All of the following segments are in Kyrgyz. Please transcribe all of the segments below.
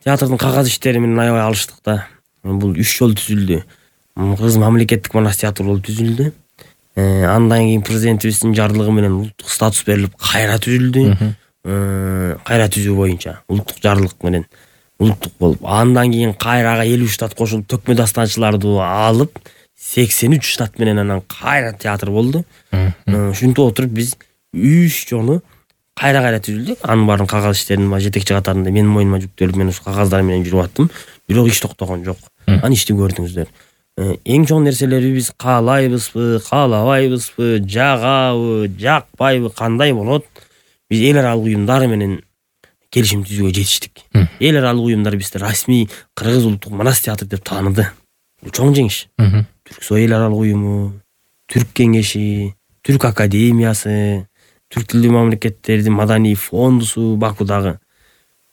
театрдын кагаз иштери менен аябай алыштык да. Бул 3 жолу түзүлдү. Кыргыз мамлекеттик манас театры болуп түзүлдү. Андан кийин президентибиздин жарлыгы менен улуттук статус берилип кайра түзүлдү. Кайра түзүү боюнча улуттук жарлык менен улуттук болуп, андан кийин кайрага 50 штат кошулуп, төкмө дастанчыларды алып 83 штат менен анан кайра театр болду. Ушинтип отуруп биз 3 жолу кайра түзүлдүк. Анын баарын кагаз иштеринин жетекчи катарында менин мойнума жүктөлүп, мен ушу кагаздар менен жүрүп аттым. Бирок иш токтогон жок. Аны ишти көрдүңүздөр. Эң чоң нерселерди биз каалайбызбы, каалабайбызбы, жагабы, жакпайбы, кандай болот? Биз эл аралык уюмдар менен келишим түзүүгө жетиштик. Эл аралык уюмдар бизди расмий Кыргыз улуттук манас театры деп тааныды. Бул чоң жеңиш. Түрксой эл аралык уюму, Түрк кеңеши, Түрк академиясы, түрк тилдүү мамлекеттердин маданий фондусу Бакудагы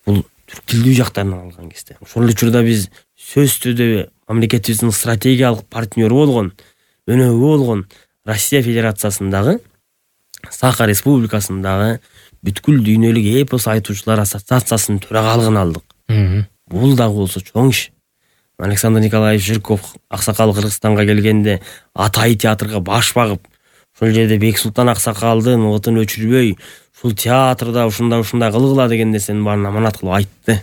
бул түрк тилдүү жактарынан алган кезде. Ошол учурда биз сөз түрдө мамлекетибиздин стратегиялык партнеру болгон, өнөгү болгон Россия Федерациясындагы, Саха Республикасындагы бүткүл дүйнөлүк эпос айтуучулар ассоциациясынын төрагалыгын алдык. Бул дагы болсо чоң иш. Александр Николаевич Жирков аксакал Кыргызстанга келгенде Атай театрга баш багып, ошол жерде Бексултан аксакалдын отун өчүрбөй, ушул театрда ушундай кылгыла деген нерсенин баарын аманат кылып айтты.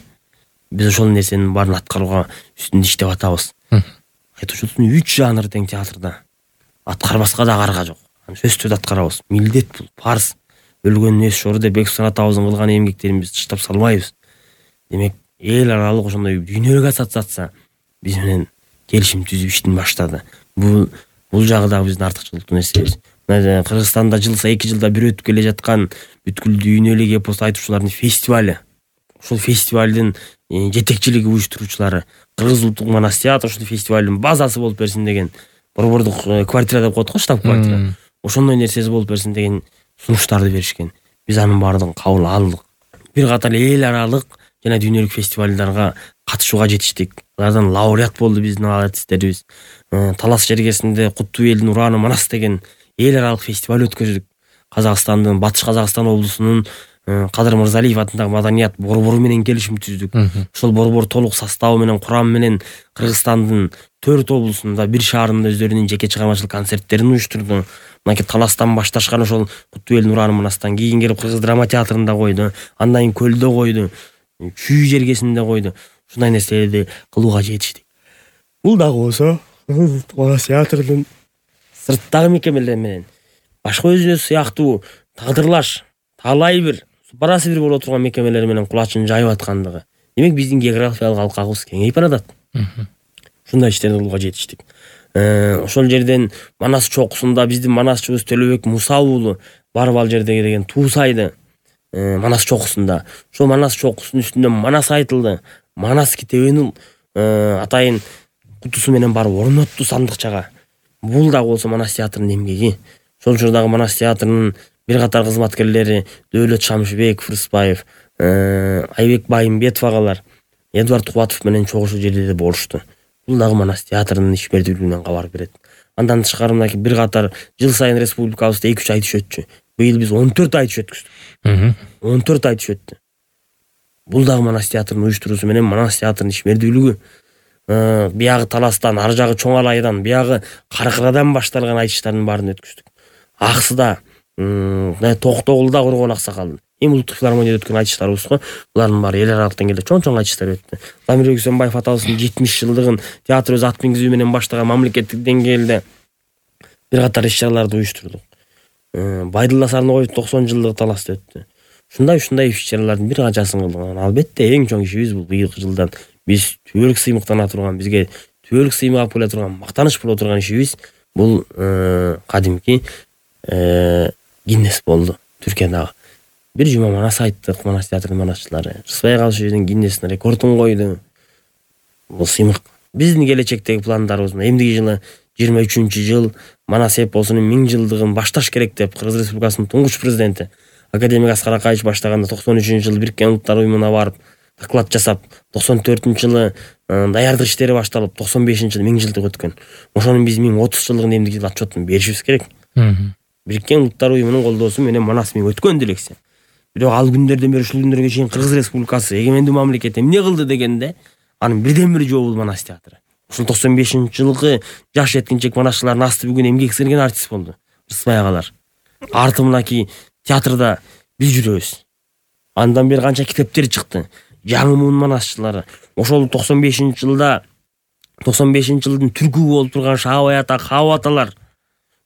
Биз ошол нерсенин баарын аткарууга үстүндө иштеп атабыз. Айтуучулуктун 3 жанры тең театрда. Аткарбаска да карга жок. Сөз түрдө аткарабыз. Милдет бул, парыз. Өлгөндүн эс жору деп Бексултан атабыздын кылган эмгектерин биз тыштап салбайбыз. Демек, эл аралык ошондой дүйнөлүк ассоциация биз менен келишим түзүп иштин баштады. Бул жагы дагы биздин артыкчылыктуу нерсебиз. Кыргызстанда жыл сайын 2 жылда бир өтүп келе жаткан бүткүл дүйнөлүк эпос айтуучулардын фестивали. Ошол фестивалдын жетекчилиги уюштуруучулары Кыргыз улуттук манас театры ушул фестивалдын базасы болуп берсин деген, борбордук квартира деп коет го, штаб квартира. Ошондой нерсеси болуп берсин деген сунуштарды беришкен. Биз анын баардыгын кабыл алдык. Бир катар эл аралык жана дүйнөлүк фестивалдарга катышууга жетиштик. Алардан лауреат болду биздин артисттерибиз. Талас жергесинде Куттуу элдин ураны манас деген эл аралык фестиваль өткөздүк. Казакстандын Батыш Казакстан облусунун Кадыр Мырзалиев атындагы маданият борбору менен келишим түздүк. Ошол борбор толук составы менен, курамы менен Кыргызстандын 4 облусунда, бир шаарында өздөрүнүн жеке чыгармачылык концерттерин уюштурду. Мынакей Таластан башташкан ошол Куттуу элдин ураны манастан кийин келип Кыргыз драма театрында койду, андан кийин Көлдө койду, Чүй жергесинде койду. Ушундай нерселерди кылууга жетиштик. Бул дагы болсо манас театрдын сырттагы мекемелер менен башка өзүнө сыяктуу тагдырлаш, талай бир барасы бир боло турган мекемелер менен кулачын жайып аткандыгы. Демек биздин географиялык алкагыбыз кеңейип баратат. Ушундай иштерди кылууга жетиштик. Ошол жерден Манас чокусунда биздин манасчыбыз Төлөбек Муса уулу барып ал жердеги деген туусайды. Манас чокусунда. Ошол Манас чокусунун үстүндө Манас айтылды. Манас китебинин атайын кутусу менен барып орнотту сандыкчага. Бул дагы болсо Манас театрынын эмгеги. Ошол учурдагы Манас театрынын бир катар кызматкерлери Дөөлөт Шамшыбеков, Рыспаев, Айбек Байымбетов агалар Эдвард Кубатов менен чогуу ушул жерде болушту. Бул дагы Манас театрынын ишмердүүлүгүнөн кабар берет. Андан тышкары мынакей бир катар жыл сайын республикабызда 2-3 айтыш өтчү. Быйыл биз 14 айтыш өткүздүк. 14 айтыш өттү. Бул дагы Манас театрынын уюштуруусу менен Манас театрынын ишмердүүлүгү. Биягы Таластан, ар жагы Чоң Алайдан, биягы Каркырадан башталган айтыштардын баарын өткүздүк. Аксыда, Токтогулда Коргон аксакалдын. Эми улуттук филармонияда өткөн айтыштарыбыз го. Булардын баары эл аралык деңгээлде чоң айтыштар өттү. Замир Өксөнбаев атабыздын 70 жылдыгын театр өз ат мингизүү менен баштаган мамлекеттик деңгээлде бир катар иш-чараларды уюштурдук. Байдылла Сарногоевдун 90 жылдыгы Таласта өттү. Ушундай иш-чаралардын бир канчасын кылдык. Албетте эң чоң ишибиз бул быйылкы жылдан биз түбөлүк сыймыктана турган, бизге түбөлүк сыймык алып келе турган, мактаныч боло турган ишибиз бул кадимки Гиннес болду Түркиядагы. Бир жума Манас айттык, Манас театрынын манасчылары. Рыспай Калышевдин Гиннесин рекордун койду. Бул сыймык. Биздин келечектеги пландарыбыз эмдиги жылы 23-жыл Манас эпосунун 1000 жылдыгын башташ керек деп Кыргыз Республикасынын туңгуч президенти академик Аскар Акаевич баштаганда 93-жылы Бириккен Улуттар уюмуна барып доклад жасап, 94-жылы даярдык иштери башталып, 95-жылы 1000 жылдык өткөн. Ошонун биз 1030 жылдыгын эмдиги жылы отчетун беришибиз керек. Бириккен Улуттар уюмунун колдоосу менен Манас 1000 өткөн делексе. Бирок ал күндөрдөн бери ушул күндөргө чейин Кыргыз Республикасы эгемендүү мамлекет эмне кылды дегенде анын бирден бир жообу Манас театры. Ушул 95-жылкы жаш жеткинчек манасчылардын асты бүгүн эмгек сиңирген артист болду. Рыспай агалар. Арты мынакей театрда биз жүрөбүз. Андан бери канча китептер чыкты. Жаңы муун манасчылары. Ошол 95-жылда 95-жылдын түркү болуп турган Шаабай ата, Хаба аталар.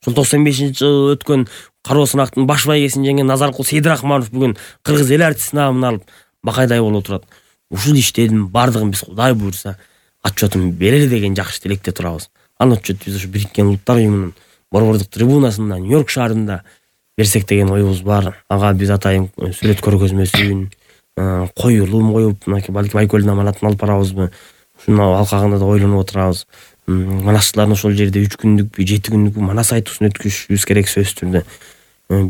Ошол 95-жылы өткөн кароо сынактын баш байгесин жеңген Назаркул Сейдирахманов бүгүн кыргыз эл артисти наамын алып бакайдай болуп отурат. Ушул иштердин бардыгын биз Кудай буйрса отчетун берели деген жакшы тилекте турабыз. Анын отчету биз ушу Бириккен Улуттар уюмунун борбордук трибунасында Нью-Йорк шаарында берсек деген оюбуз бар. Ага биз атайын сүрөт көргөзмөсүн, коюлум коюп, балким Айкөлдүн аманатын алып барабызбы? Ушуну алкагында да ойлонуп отурабыз. Манасчылардын ошол жерде 3 күндүкпү, 7 күндүкпү манас айтуусун өткүзүшүбүз керек сөзсүз түрдө.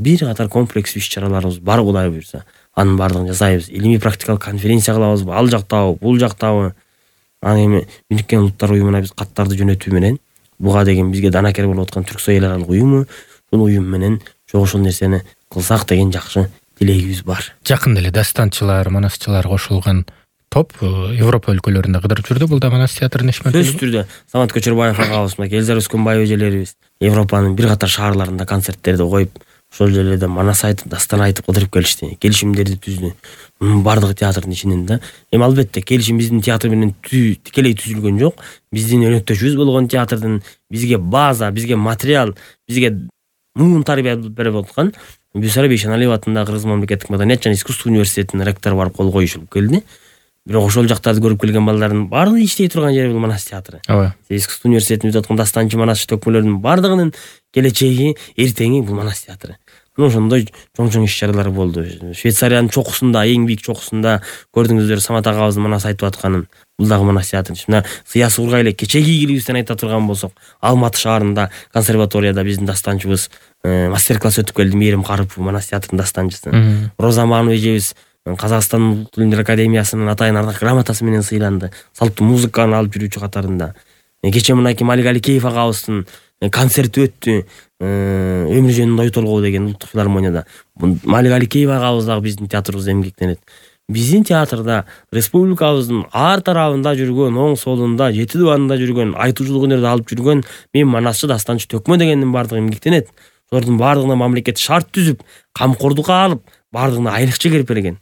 Бир катар комплекс иш-чараларыбыз бар Кудай буйрса. Анын бардыгын жасайбыз. Илимий практикалык конференция кылабызбы? Ал жактабы, бул жактабы? Аны эми Бириккен Улуттар уюмуна биз каттарды жөнөтүү менен буга деген бизге данакер болуп аткан Түрксой эл аралык уюму, ушул уюм менен ошол нерсени кылсак деген жакшы тилегибиз бар. Жакында эле дастанчылар, манасчылар кошулган топ Европа өлкөлөрүндө кыдырып жүрдү. Бул да Манас театрынын ишмердүүлүгү. Сөзсүз түрдө Самат Көчөрбаев агабыз, Элзар Өскөнбаев эжелерибиз Европанын бир катар шаарларында концерттерди коюп, ошол жерлерде манас айтып, дастан айтып кыдырып келишти. Келишимдерди түздү. Бардыгы театрдын ичинен да. Эми албетте келишим биздин театр менен тикелей түзүлгөн жок. Биздин өнөктөшүбүз болгон театрдын бизге база, бизге материал, бизге муун тарбия берип аткан Бюсара Бейшеналиев атындагы Кыргыз мамлекеттик маданият жана искусство университетинин ректору барып кол коюшуп келди. Бирок ошол жактарды көрүп келген балдардын баардыгы иштей турган жери бул Манас театры. Ооба. Искусство университетинде өтүп аткан дастанчы манасчы төкмөлөрдүн баардыгынын келечеги, эртеңи бул Манас театры. Ошондой чоң иш-чаралар болду. Швейцариянын чокусунда, эң бийик чокусунда көрдүңүздөр Самат агабыздын манас айтып атканын. Бул дагы Манас театры. Мына Сыясы ургай эле кечеги ийгилигибизден айта турган болсок, Алматы шаарында консерваторияда биздин дастанчыбыз мастер-класс өтүп келди. Мээрим Карыпов Манас театрынын дастанчысы. Роза Манова эжебиз Казакстан Улуттук тилдер академиясынын атайын ардак грамотасы менен сыйланды. Салттуу музыканы алып жүрүүчү катарында. Кече мынакей Малик Аликеев агабыздын концерти өттү. Өмүр жөнүндө ой толгоо деген улуттук филармонияда. Малик Аликеев агабыз дагы биздин театрыбызда эмгектенет. Биздин театрда республикабыздын ар тарабында жүргөн, оң солунда, жети дубанында жүргөн, айтуучулук өнөрдү алып жүргөн мен манасчы, дастанчы, төкмө дегендин баардыгы эмгектенет. Олордун баардыгына мамлекет шарт түзүп, камкордукка алып, баардыгына айлык чегирип берген.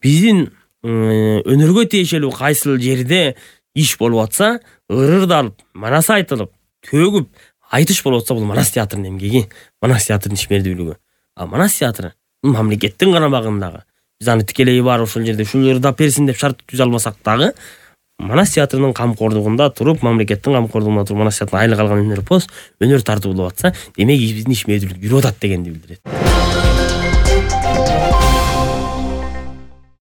Биздин өнөргө тиешелүү кайсыл жерде иш болуп атса, ырырды алып, манас айтылып, төгүп, айтыш болуп атса, бул Манас театрынын эмгеги, Манас театрынын ишмердүүлүгү. А Манас театры бул мамлекеттин карамагындагы. Биз аны тикелей бар ошол жерде ушул ырдап берсин деп шарт түзө алмасак дагы, Манас театрынын камкордугунда туруп, мамлекеттин камкордугунда туруп Манас театрынын айлык алган өнөр тартуулап атса, демек биздин ишмердүүлүк жүрүп атат дегенди билдирет.